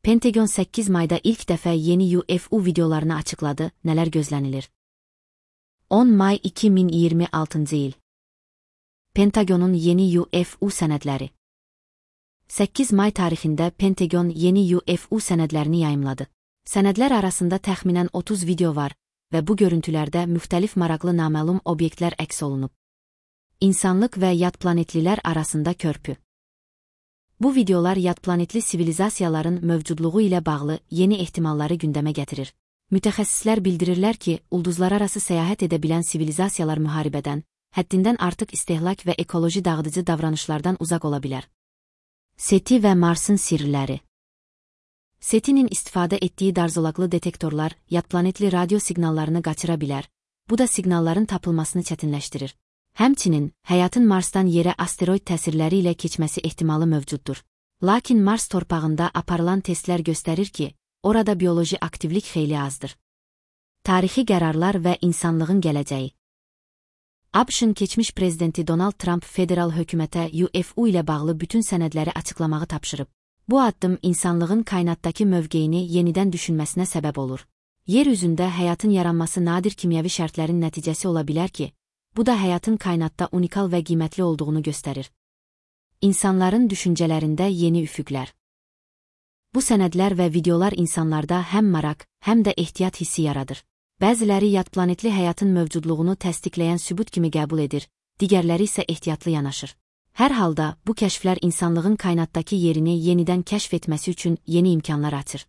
Pentagon 8 mayda ilk dəfə yeni UFO videolarını açıqladı, nələr gözlənilir? 10 may 2026 il. Pentagonun yeni UFO sənədləri. 8 may tarixində Pentagon yeni UFO sənədlərini yayımladı. Sənədlər arasında təxminən 30 video var və bu görüntülərdə müxtəlif maraqlı naməlum obyektlər əks olunub. İnsanlıq və yad planetlilər arasında körpü. Bu videolar yad planetli sivilizasiyaların mövcudluğu ilə bağlı yeni ehtimalları gündəmə gətirir. Mütəxəssislər bildirirlər ki, ulduzlararası səyahət edə bilən sivilizasiyalar müharibədən, həddindən artıq istehlak və ekoloji dağıdıcı davranışlardan uzaq ola bilər. SETI və Marsın sirləri. SETI'nin istifadə etdiyi darzolaqlı detektorlar yad planetli radio siqnallarını qaçıra bilər, bu da siqnalların tapılmasını çətinləşdirir. Həmçinin, həyatın Marsdan yerə asteroid təsirləri ilə keçməsi ehtimalı mövcuddur. Lakin Mars torpağında aparılan testlər göstərir ki, orada bioloji aktivlik xeyli azdır. Tarixi qərarlar və insanlığın gələcəyi. ABŞ-ın keçmiş prezidenti Donald Trump federal hökumətə UFO ilə bağlı bütün sənədləri açıqlamağı tapşırıb. Bu addım insanlığın kainatdakı mövqeyini yenidən düşünməsinə səbəb olur. Yer üzündə həyatın yaranması nadir kimyəvi şərtlərin nəticəsi ola bilər ki, bu da həyatın kainatda unikal və qiymətli olduğunu göstərir. İnsanların düşüncələrində yeni üfüqlər. Bu sənədlər və videolar insanlarda həm maraq, həm də ehtiyat hissi yaradır. Bəziləri yad planetli həyatın mövcudluğunu təsdiqləyən sübut kimi qəbul edir, digərləri isə ehtiyatlı yanaşır. Hər halda, bu kəşflər insanlığın kainatdakı yerini yenidən kəşf etməsi üçün yeni imkanlar açır.